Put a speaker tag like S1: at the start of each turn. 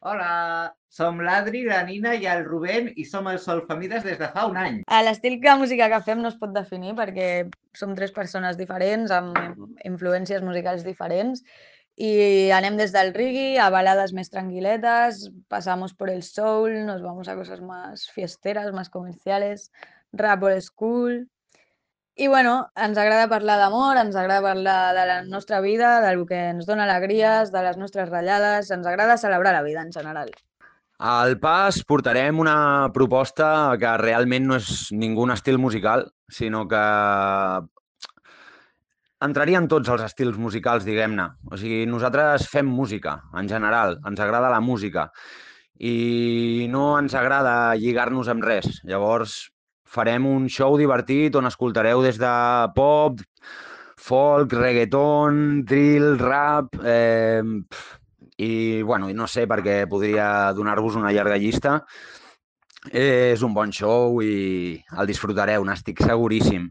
S1: Hola, som l'Adri, la Nina i el Rubén i som els Solfamides des de fa un any.
S2: L'estil de música que fem no es pot definir perquè som tres persones diferents amb influències musicals diferents i anem des del reggae a balades més tranquiletes, pasamos por el soul, nos vamos a cosas más fiesteras, más comerciales, rap old school. I bueno, ens agrada parlar d'amor, ens agrada parlar de la nostra vida, del que ens dona alegries, de les nostres ratllades, ens agrada celebrar la vida en general.
S3: Al pas portarem una proposta que realment no és ningú estil musical, sinó que entraria en tots els estils musicals, diguem-ne. O sigui, nosaltres fem música, en general, ens agrada la música i no ens agrada lligar-nos amb res. Llavors, farem un show divertit on escoltareu des de pop, folk, reggaeton, drill, rap, i, bueno, no sé, perquè podria donar-vos una llarga llista. És un bon show i el disfrutareu, n'estic seguríssim.